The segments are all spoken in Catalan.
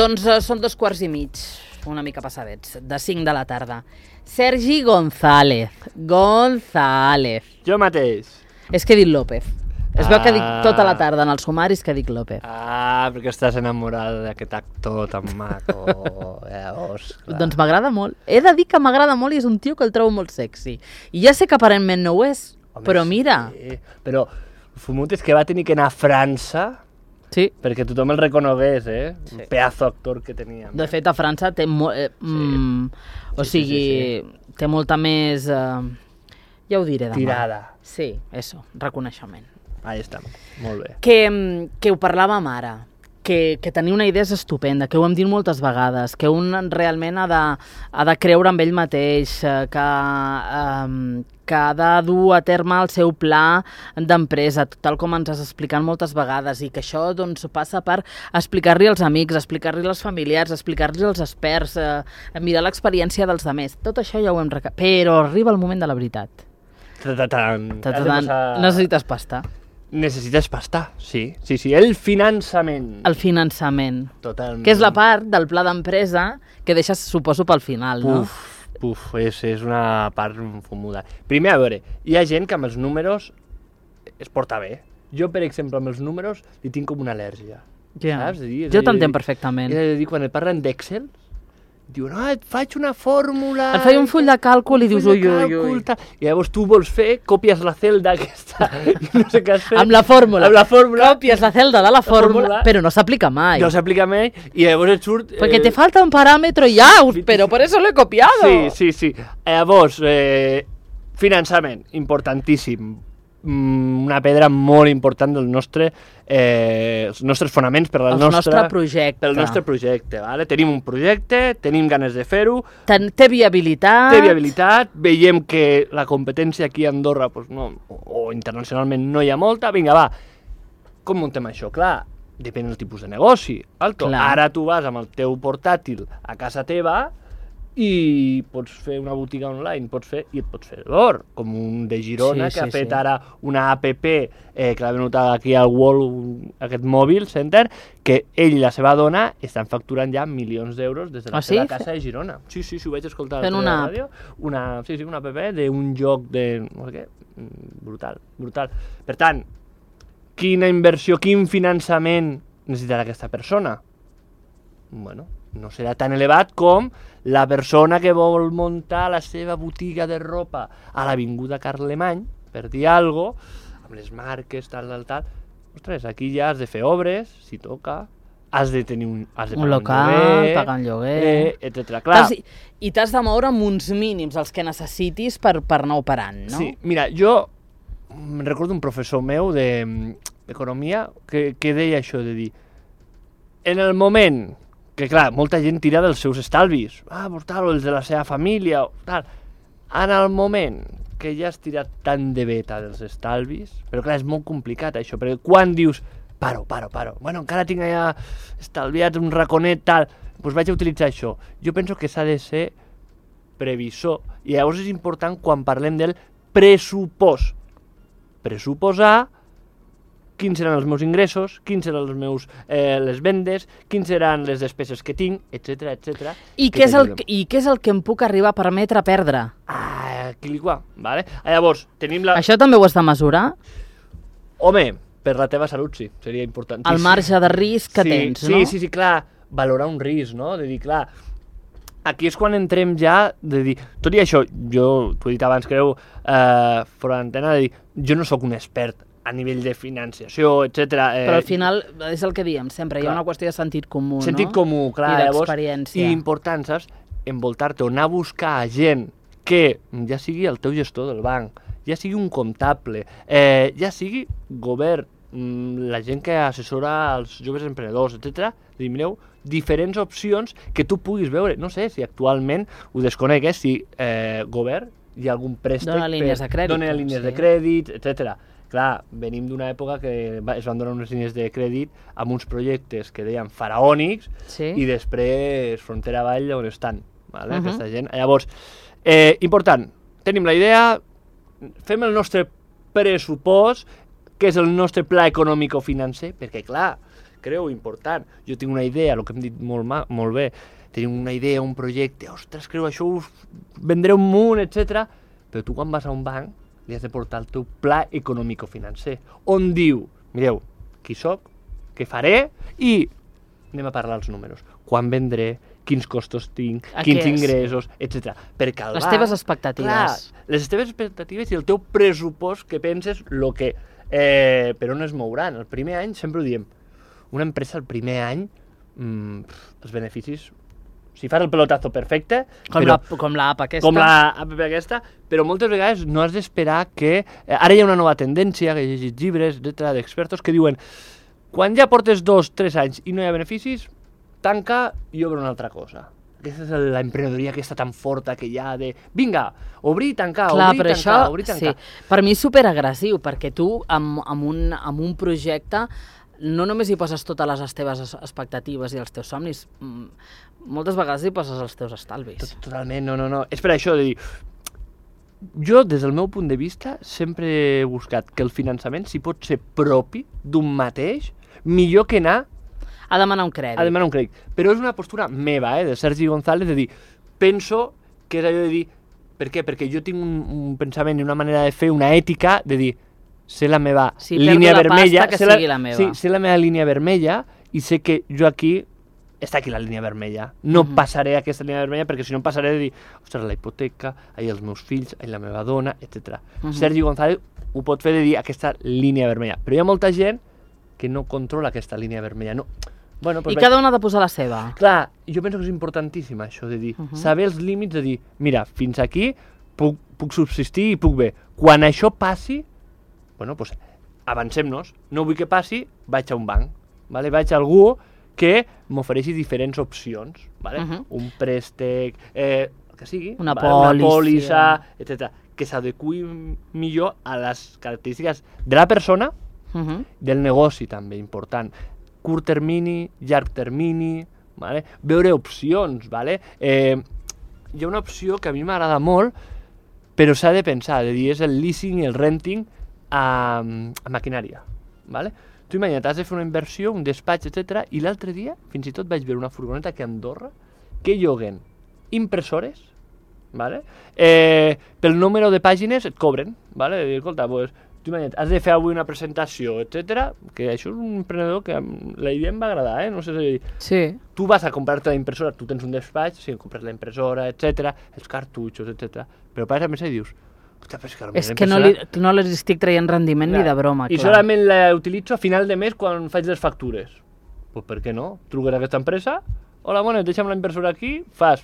Doncs són 2:15, una mica passadets, de 5 de la tarda. Sergi González. Jo mateix. És que he dit López. Es veu que dic tota la tarda en els sumaris que dic López. Perquè estàs enamorada d'aquest actor tan maco. Llavors, clar. Doncs m'agrada molt. He de dir que m'agrada molt i és un tio que el trobo molt sexy. I ja sé que aparentment no ho és, home, però mira. Sí. Però fumut és que va tenir que anar a França perquè tothom el reconegués, Sí. Un pedazo actor que tenia. De fet, a França té té molta més... ja ho diré demà. Tirada. Sí, reconeixement. Ahí està, molt bé. Que ho parlàvem ara, que tenir una idea és estupenda, que ho hem dit moltes vegades, que un realment ha de creure en ell mateix, que ha de dur a terme el seu pla d'empresa, tal com ens has explicat moltes vegades, i que això doncs, passa per explicar-li als amics, explicar-li als familiars, explicar-li als experts, mirar l'experiència dels altres. Tot això ja ho hem però arriba el moment de la veritat. Necessites pasta. Necessites pasta, sí. El finançament. El finançament. Totalment. Que és la part del pla d'empresa que deixes, suposo, pel final, no? És una part fumuda. Primer, a veure, hi ha gent que amb els números es porta bé. Jo, per exemple, amb els números li tinc com una al·lèrgia. Saps? Jo t'entenc perfectament. És a dir, quan et parlen d'Excel, diuen, et faig una fórmula... Et faig un full de càlcul i dius, ui. I llavors tu vols fer, copies la celda aquesta, i no sé què has fet. Amb la fórmula. Copies la celda de la fórmula, però no s'aplica mai. No s'aplica mai, i llavors et surt... Perquè te falta un paràmetre ja, però per eso lo he copiado. Sí. Llavors, finançament, importantíssim. Una pedra molt important dels nostres fonaments per al nostre projecte. Vale? Tenim un projecte, tenim ganes de fer-ho. Té viabilitat. Veiem que la competència aquí a Andorra o internacionalment no hi ha molta. Vinga, va, com muntem això? Clar, depèn del tipus de negoci. Ara tu vas amb el teu portàtil a casa teva i pots fer una botiga online, i et pots fer l'or, com un de Girona que ha fet ara una app que l'ha venut aquí al World, aquest mòbil center, que ell i la seva dona estan facturant ja milions d'euros des de la seva casa de Girona. Sí, ho vaig escoltar a la ràdio. Una app d'un joc de... no sé què, brutal. Per tant, quina inversió, quin finançament necessitarà aquesta persona? Bueno, no serà tan elevat com la persona que vol muntar la seva botiga de ropa a l'Avinguda Carlemany, per dir alguna cosa, amb les marques, tal. Ostres, aquí ja has de fer obres, si toca, has de tenir un local, pagar un lloguer, etc. I t'has de moure amb uns mínims, els que necessitis per anar operant, no? Sí, mira, jo me'n recordo un professor meu d'economia que deia això, de dir, en el moment que, clar, molta gent tira dels seus estalvis, o els de la seva família, tal. En el moment que ja has tirat tant de beta dels estalvis, però clar, és molt complicat això, perquè quan dius, paro, bueno, encara tinc allà estalviat un raconet, tal, doncs vaig a utilitzar això. Jo penso que s'ha de ser previsor, i llavors és important quan parlem del pressupost. Pressuposar quins seran els meus ingressos, quins seran les vendes, quins seran les despeses que tinc, etc. I què és el que em puc arribar a permetre perdre? Vale? Llavors, tenim la... Això també ho has de mesurar? Home, per la teva salut sí, seria important. El marge de risc que tens, no? Sí, clar, valorar un risc, no? De dir, clar, aquí és quan entrem ja, de dir, tot i això, jo t'ho he dit abans, creu, fora d'antena, de dir, jo no sóc un expert a nivell de financiació, etc. Però al final és el que diem sempre, hi ha una qüestió de sentit comú, no? Sentit comú, clar, i d'experiència. I important, saps? Envoltar-te o anar a buscar gent que ja sigui el teu gestor del banc, ja sigui un comptable, ja sigui govern, la gent que assessora els joves emprenedors, etc. Mireu, diferents opcions que tu puguis veure. No sé si actualment ho desconec, si govern hi ha algun préstec... Dona línies de crèdit, etc. Clar, venim d'una època que es van donar unes línies de crèdit amb uns projectes que deien faraònics i després frontera avall on estan, aquesta gent. Llavors, important, tenim la idea, fem el nostre pressupost, que és el nostre pla econòmic-financer, perquè clar, creu important. Jo tinc una idea, el que hem dit molt bé, tenim una idea, un projecte, ostres, creu, això us vendré un munt, etc. Però tu quan vas a un banc li has de portar el teu pla econòmico-financer, on diu, mireu, qui soc, què faré i anem a parlar els números. Quan vendré, quins costos tinc, quins ingressos, etc. Perquè el les teves expectatives. Clar, les teves expectatives i el teu pressupost que penses per on es mouran. El primer any, sempre ho diem, una empresa el primer any, els beneficis, si fas el pelotazo perfecte... Com l'app aquesta. Com l'app aquesta, però moltes vegades no has d'esperar que... Ara hi ha una nova tendència, que he llegit llibres, etc., d'expertos, que diuen quan ja portes 2-3 anys i no hi ha beneficis, tanca i obre una altra cosa. Aquesta és l'emprenedoria aquesta tan forta que hi ha de... Vinga, obrir i tancar, obrir i tancar. Sí. Per mi és superagressiu, perquè tu amb un projecte no només hi poses totes les teves expectatives i els teus somnis, moltes vegades hi poses els teus estalvis. Totalment, no. És per això de dir... Jo, des del meu punt de vista, sempre he buscat que el finançament, si pot ser propi d'un mateix, millor que anar a demanar un crèdit. Però és una postura meva, de Sergi González, de dir, penso que és allò de dir, per què? Perquè jo tinc un pensament i una manera de fer, una ètica, de dir, sé la meva línia vermella, sé la meva línia vermella i sé que jo aquí està aquí la línia vermella. No passaré aquesta línia vermella perquè si no passaré de dir, ostres, la hipoteca, els meus fills, la meva dona, etc. Sergi González ho pot fer de dir aquesta línia vermella. Però hi ha molta gent que no controla aquesta línia vermella. No. Bueno, I cada un ha de posar la seva. Clar, jo penso que és importantíssim això de dir, saber els límits de dir, mira, fins aquí puc subsistir i puc bé. Quan això passi, bueno, doncs avancem-nos. No vull que passi, vaig a un banc. Vaig a algú que m'ofereixi diferents opcions, un préstec, el que sigui, una pòlissa, etc. Que s'adequi millor a les característiques de la persona, del negoci també, important. Curt termini, llarg termini, veure opcions. Hi ha una opció que a mi m'agrada molt, però s'ha de pensar, de dir, és el leasing i el renting a maquinària. Tu imagina't, has de fer una inversió, un despatx, etc. I l'altre dia, fins i tot vaig veure una furgoneta que a Andorra, que lloguen impressores, pel número de pàgines et cobren. Escolta, tu imagina't, has de fer avui una presentació, etc. Que això és un emprenedor que la idea em va agradar, no sé si... Sí. Tu vas a comprar-te la impressora, tu tens un despatx, compres la impressora, etc., els cartutxos, etc. Però a més i dius... És que no li estic traient rendiment ni de broma. I solament la utilitzo a final de mes quan faig les factures. Doncs per què no? Truques a aquesta empresa, hola, bona, deixa'm la impressora aquí, fas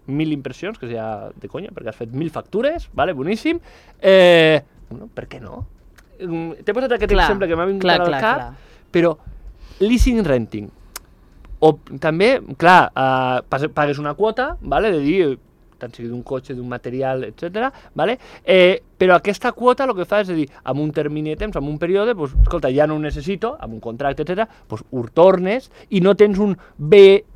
1.000 impressions, que ja de conya, perquè has fet 1.000 factures, boníssim. Per què no? T'he posat aquest exemple que m'ha vingut al cap, però leasing renting. O també, clar, pagues una quota, de dir... tant sigui d'un cotxe, d'un material, etc. Però aquesta quota el que fa és dir, amb un termini de temps, amb un període, escolta, ja no ho necessito, amb un contracte, etc., ho tornes i no tens un bé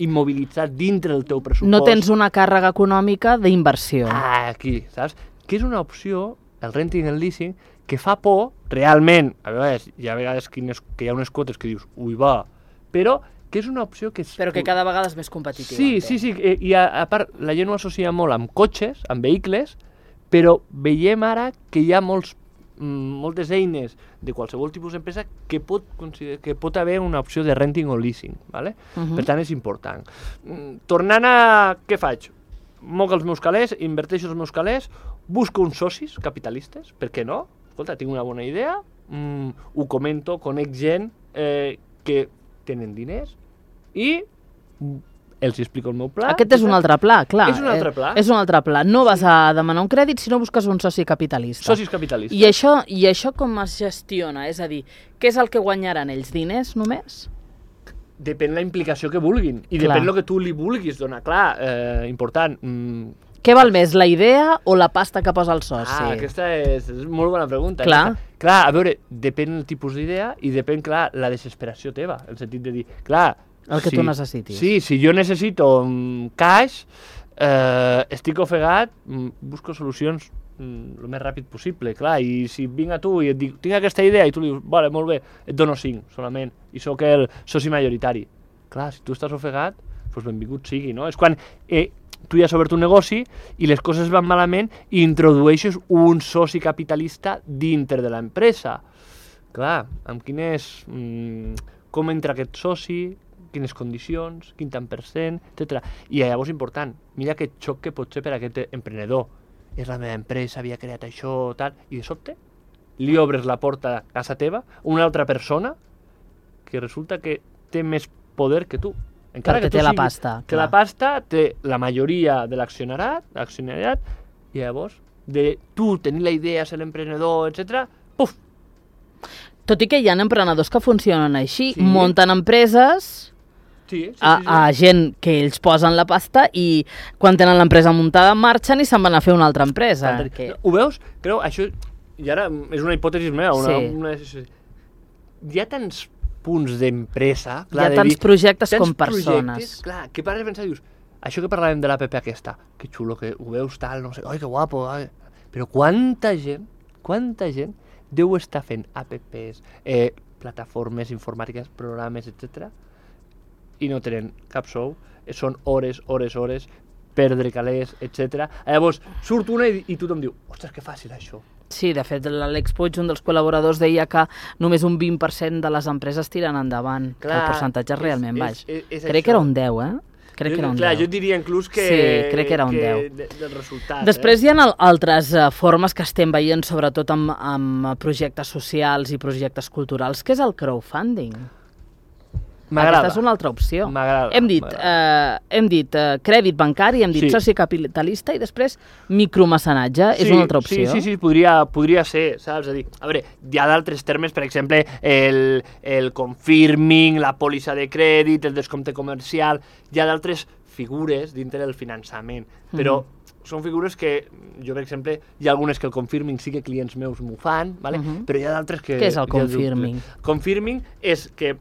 immobilitzat dintre del teu pressupost. No tens una càrrega econòmica d'inversió. Aquí, saps? Que és una opció, el renting i el leasing, que fa por, realment, a vegades, hi ha vegades que hi ha unes quotes que dius, ui va, però que és una opció que... Però que cada vegada és més competitiva. Sí, i a part, la gent ho associa molt amb cotxes, amb vehicles, però veiem ara que hi ha moltes eines de qualsevol tipus d'empresa que pot haver una opció de renting o leasing, Per tant, és important. Tornant a què faig? Moc els meus calés, inverteixo els meus calés, busco uns socis capitalistes, per què no? Escolta, tinc una bona idea, ho comento, conec gent que tenen diners i els explico el meu pla. Aquest és un altre pla, clar. És un altre pla. És un altre pla. No vas a demanar un crèdit si no busques un soci capitalista. Socis capitalistes. I això com es gestiona? És a dir, què és el que guanyaran ells? Diners només? Depèn la implicació que vulguin i depèn el que tu li vulguis donar. Clar, important. Què val més, la idea o la pasta que posa el soci? Aquesta és molt bona pregunta. Clar. Clar, a veure, depèn el tipus d'idea i depèn, clar, la desesperació teva, en el sentit de dir, clar... El que tu necessitis. Sí, si jo necessito cash, estic ofegat, busco solucions el més ràpid possible, clar, i si vinc a tu i et dic, tinc aquesta idea, i tu li dius, vale, molt bé, et dono 5 solament, i sóc el soci majoritari. Clar, si tu estàs ofegat, doncs benvingut sigui, no? És quan tu ja has obert un negoci i les coses van malament i introdueixes un soci capitalista dintre de l'empresa. Clar, amb quines... com entra aquest soci, quines condicions, quin tant per cent, etc. I llavors important, mira aquest xoc que pot ser per aquest emprenedor. És la meva empresa, havia creat això, tal, i de sobte li obres la porta a casa teva a una altra persona que resulta que té més poder que tu. Encara que té la pasta. Que la pasta té la majoria de l'accionariat, i llavors de tu tenir la idea, ser l'emprenedor, etc. Puf! Tot i que hi ha emprenedors que funcionen així, munten empreses... a gent que ells posen la pasta i quan tenen l'empresa muntada marxen i se'n van a fer una altra empresa. Ho veus? Creu, això, i ara és una hipòtesi meva, hi ha tants punts d'empresa... Hi ha tants projectes com persones. Clar, que pares a pensar, dius, això que parlàvem de l'APP aquesta, que xulo, que ho veus tal, no sé, oi, que guapo, però quanta gent deu estar fent APPs, plataformes informàtiques, programes, etc., i no tenen cap sou, són hores, perdre calés, etc. Llavors, surt una i tothom diu, ostres, que fàcil això. Sí, de fet, l'Àlex Puig, un dels col·laboradors, deia que només un 20% de les empreses tiren endavant, que el percentatge és realment baix. Crec que era un 10, Crec que era un 10. Clar, jo diria inclús que... Sí, crec que era un 10. Del resultat. Després hi ha altres formes que estem veient, sobretot amb projectes socials i projectes culturals, que és el crowdfunding. M'agrada. Aquesta és una altra opció. M'agrada. Hem dit crèdit bancari, hem dit soci capitalista i després micromecenatge, és una altra opció. Sí, podria ser, saps? És a dir, a veure, hi ha d'altres termes, per exemple, el confirming, la pòlissa de crèdit, el descompte comercial, hi ha d'altres figures dintre del finançament, però són figures que jo, per exemple, hi ha algunes que el confirming sí que clients meus m'ho fan, vale? Però hi ha d'altres que... Què és el confirming? Confirming és que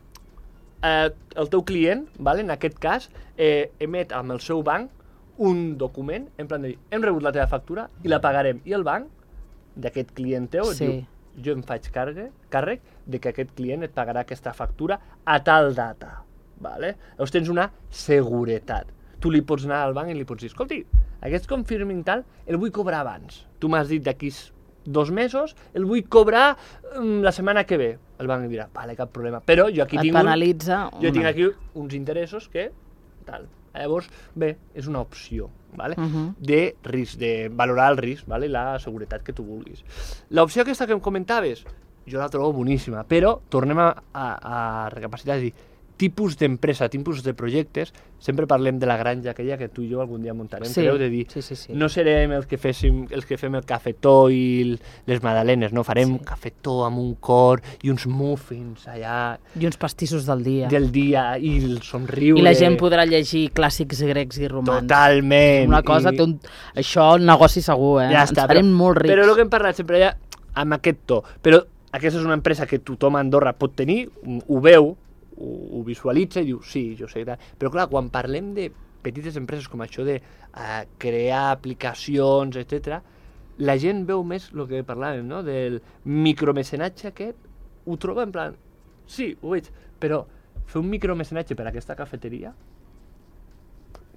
el teu client, vale, en aquest cas, emet amb el seu banc un document, en plan de dir, hem rebut la teva factura i la pagarem. I el banc d'aquest client teu et diu, jo em faig càrrec de que aquest client et pagarà aquesta factura a tal data. Vale? Llavors tens una seguretat. Tu li pots anar al banc i li pots dir, escolti, aquest confirming tal el vull cobrar abans. Tu m'has dit d'aquí 2 mesos, el vull cobrar la setmana que ve. El banc dirà, vale, cap problema. Però jo aquí tinc aquí uns interessos que tal. Llavors, bé, és una opció, vale? De risc, de valorar el risc, vale? La seguretat que tu vulguis. L'opció aquesta que em comentaves, jo la trobo boníssima, però tornem a recapacitar, és a dir, tipus d'empresa, tipus de projectes, sempre parlem de la granja aquella que tu i jo algun dia muntarem, creu, de dir, no serem els que fem el cafetó i les magdalenes, no, farem cafetó amb un cor i uns muffins allà... I uns pastissos del dia. I el somriure... I la gent podrà llegir clàssics grecs i romans. Totalment. Una cosa, això, un negoci segur, Ja està, ens farem molt rics. Però el que hem parlat sempre ja amb aquest to, però aquesta és una empresa que tothom a Andorra pot tenir, ho veu, ho visualitza i diu, sí, jo sé, però clar, quan parlem de petites empreses com això de crear aplicacions, etc., la gent veu més el que parlàvem, no?, del micromecenatge aquest, ho troba en plan, sí, ho veig, però fer un micromecenatge per a aquesta cafeteria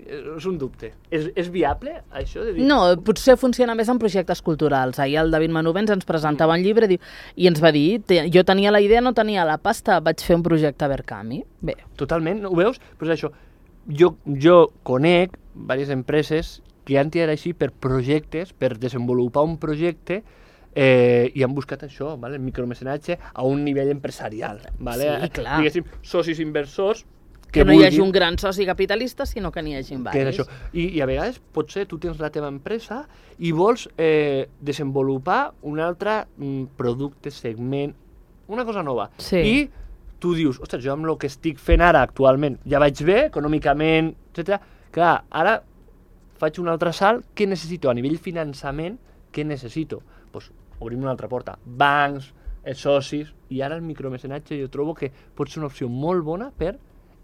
és un dubte. És viable, això? De dir... No, potser funciona més en projectes culturals. Ahir el David Manovens ens presentava un llibre i ens va dir, jo tenia la idea, no tenia la pasta, vaig fer un projecte a Verkami. Bé. Totalment, ho veus? Però és això. Jo conec diverses empreses que han tirat així per projectes, per desenvolupar un projecte i han buscat això, vale? El micromecenatge a un nivell empresarial. Vale? Sí, clar. Diguéssim, socis inversors que no hi hagi un gran soci capitalista, sinó que n'hi hagi diversos. I a vegades, potser tu tens la teva empresa i vols desenvolupar un altre producte, segment, una cosa nova. Sí. I tu dius, ostres, jo amb el que estic fent ara actualment ja vaig bé, econòmicament, etc. Clar, ara faig un altre salt, què necessito? A nivell finançament, què necessito? Doncs obrim una altra porta. Bancs, socis, i ara el micromecenatge jo trobo que pot ser una opció molt bona per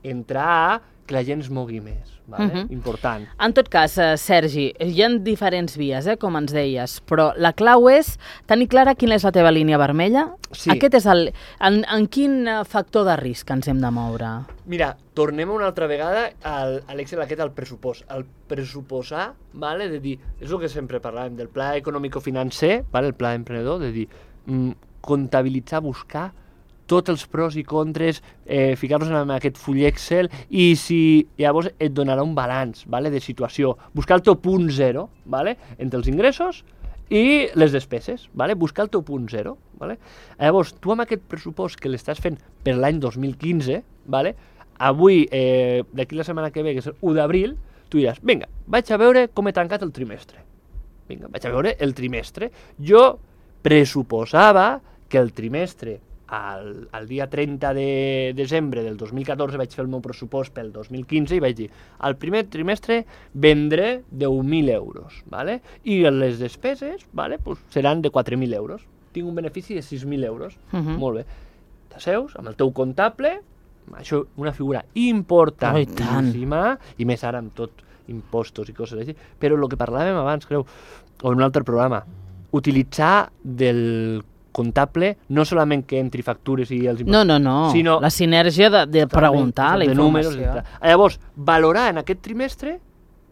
entrar a que la gent es mogui més, vale? Important. En tot cas, Sergi, hi ha diferents vies, com ens deies, però la clau és tenir clara quina és la teva línia vermella. Sí. Aquest és en quin factor de risc ens hem de moure? Mira, tornem una altra vegada a l'Excel aquest, al pressupost. El pressuposar, vale? De dir, és el que sempre parlàvem del pla econòmico-financer, vale? El pla emprenedor, de dir, comptabilitzar, buscar tots els pros i contres, ficar-los en aquest full Excel i llavors et donarà un balanç, vale? De situació. Buscar el teu punt zero, vale? Entre els ingressos i les despeses, vale? Buscar el teu punt zero. Vale? Llavors, tu amb aquest pressupost que l'estàs fent per l'any 2015, vale? Avui, d'aquí la setmana que ve, que és el 1 d'abril, tu diràs, vinga, vaig a veure com he tancat el trimestre. Vinga, vaig a veure el trimestre. Jo pressuposava que el trimestre, el dia 30 de desembre del 2014 vaig fer el meu pressupost pel 2015 i vaig dir, al primer trimestre vendré 10.000 euros, vale? I les despeses, vale? Pues seran de 4.000 euros. Tinc un benefici de 6.000 euros. Molt bé. T'asseus amb el teu comptable, això una figura importantíssima, i més ara amb tot impostos i coses així, però el que parlàvem abans, creu, o en un altre programa, utilitzar del comptable no solament que entri factures i els impostos, no, sinó la sinergia de preguntar la informació. Números, llavors, valorar en aquest trimestre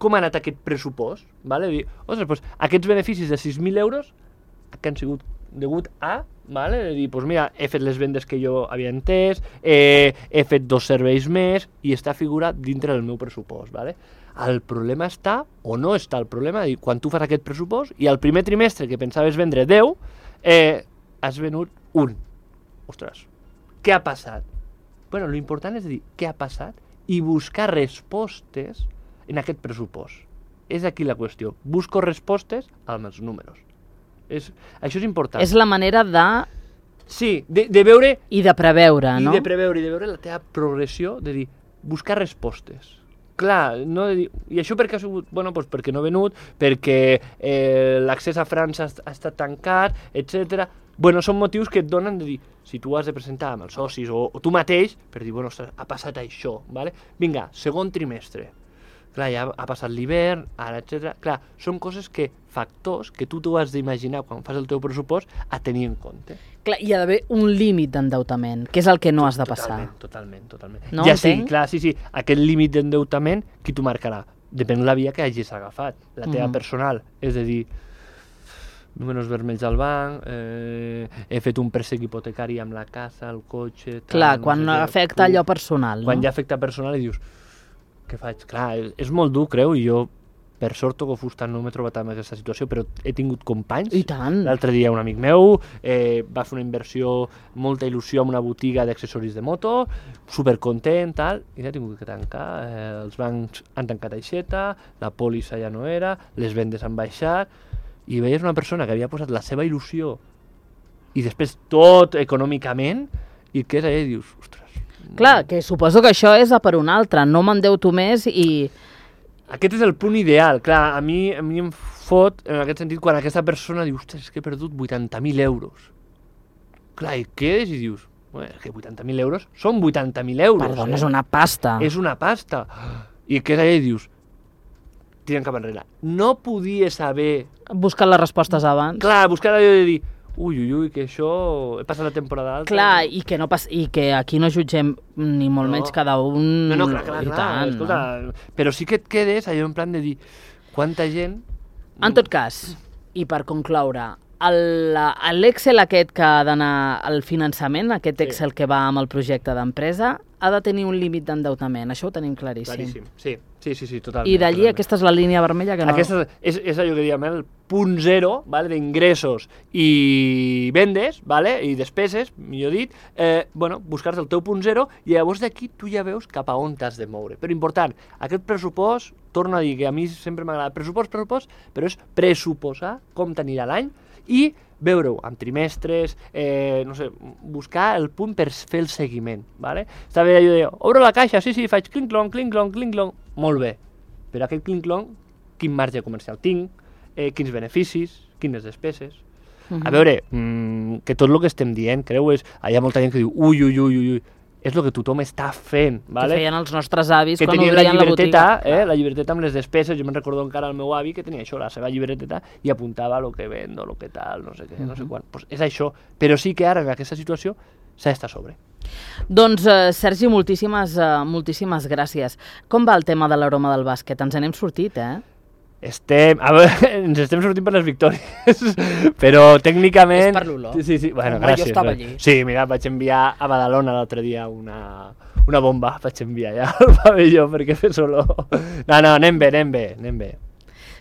com ha anat aquest pressupost, vale? Dir, ostres, doncs, aquests beneficis de 6.000 euros que han sigut degut a, vale? Dir, doncs mira, he fet les vendes que jo havia entès, he fet 2 serveis més i està figurat dintre del meu pressupost, vale? El problema està, o no està el problema, dir, quan tu fas aquest pressupost i al primer trimestre que pensaves vendre 10, has venut 1. Ostres, què ha passat? Bueno, l'important és dir què ha passat i buscar respostes en aquest pressupost. És aquí la qüestió. Busco respostes amb els números. Això és important. És la manera de... Sí, de veure... I de preveure, no? I de preveure, i de veure la teva progressió, de dir, buscar respostes. Clar, no de dir... I això perquè ha sigut... Bueno, doncs perquè no he venut, perquè l'accés a França ha estat tancat, etc. Bueno, són motius que et donen de dir, si tu has de presentar amb els socis o tu mateix, per dir, bueno, ostres, ha passat això, vale? Vinga, segon trimestre. Clar, ja ha passat l'hivern, ara, etc. Clar, són coses que, factors que tu t'ho has d'imaginar quan fas el teu pressupost a tenir en compte. Clar, hi ha d'haver un límit d'endeutament, que és el que no has de passar. Totalment. No ja entenc? Sí, clar, sí. Aquest límit d'endeutament, qui t'ho marcarà? Depèn de la via que hagis agafat. La teva personal, és a dir, números vermells al banc, he fet un préstec hipotecari amb la casa, el cotxe... Clar, quan afecta allò personal, no? Quan ja afecta personal i dius, què faig? Clar, és molt dur, creu, i jo, per sort, toco fusta, no m'he trobat en aquesta situació, però he tingut companys. I tant. L'altre dia un amic meu va fer una inversió, molta il·lusió en una botiga d'accessoris de moto, supercontent, tal, i l'ha tingut que tancar. Els bancs han tancat aixeta, la pòlissa ja no era, les vendes han baixat, i veies una persona que havia posat la seva il·lusió i després tot econòmicament i que és allà i dius, ostres... Clar, que suposo que això és a per un altre, no m'endeuto més i... Aquest és el punt ideal, clar, a mi em fot en aquest sentit quan aquesta persona diu, ostres, és que he perdut 80.000 euros. Clar, i quedes i dius, bueno, és que 80.000 euros són 80.000 euros. Perdona, és una pasta. És una pasta. I que és allà i dius, tiren cap enrere. No podies haver... Buscar les respostes abans. Clar, buscar allò de dir, ui, que això... He passat la temporada alta. Clar, i que aquí no jutgem ni molt menys cada un... No, clar, escolta, però sí que et quedes allò en plan de dir, quanta gent... En tot cas, i per concloure, l'Excel aquest que ha d'anar al finançament, aquest Excel que va amb el projecte d'empresa, ha de tenir un límit d'endeutament, això ho tenim claríssim. Sí, totalment. I d'allí aquesta és la línia vermella que no... Aquesta és allò que diem, el punt zero, vale, d'ingressos i vendes, vale, i despeses, millor dit, buscar-te el teu punt zero i llavors d'aquí tu ja veus cap a on t'has de moure. Però important, aquest pressupost, torno a dir que a mi sempre m'agrada pressupost, però és pressuposar com t'anirà l'any i veure-ho amb trimestres, buscar el punt per fer el seguiment, vale? Està bé allò de, obro la caixa, sí, faig clinc-clonc, molt bé, però aquest clinc-clonc, quin marge comercial tinc, quins beneficis, quines despeses. A veure, que tot el que estem dient, creu, hi ha molta gent que diu, ui, és el que tothom està fent. Vale? Que feien els nostres avis que quan tenien obrien la botiga. La llibreteta amb les despeses. Jo me'n recordo encara el meu avi que tenia això, la seva llibreteta, i apuntava el que vendo, el que tal, no sé què, no sé quan. Pues és això. Però sí que ara, en aquesta situació, s'ha d'estar a sobre. Doncs, Sergi, moltíssimes gràcies. Com va el tema de l'aroma del bàsquet? Ens n'hem sortit, ens estem sortint per les victòries, però tècnicament... És per l'olor. Sí, bueno, Home, gràcies. jo estava allí. Sí, mira, vaig enviar a Badalona l'altre dia una bomba, vaig enviar ja al pavelló perquè fes olor. No, anem bé.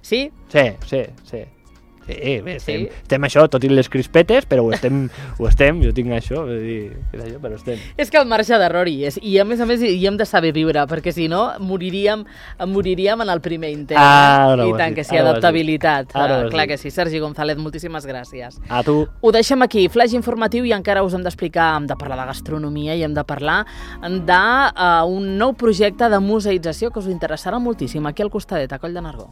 Sí? Sí, bé, estem això, tot i les crispetes, però ho estem, jo tinc això, però estem. És que el marge d'error hi és, i a més hi hem de saber viure, perquè si no moriríem en el primer intent. I tant que sí, adaptabilitat. Clar que sí. Sergi González, moltíssimes gràcies. A tu. Ho deixem aquí, flash informatiu, i encara us hem d'explicar, hem de parlar de gastronomia i hem de parlar d'un nou projecte de museïtzació que us interessarà moltíssim, aquí al costadet, a Coll de Nargó.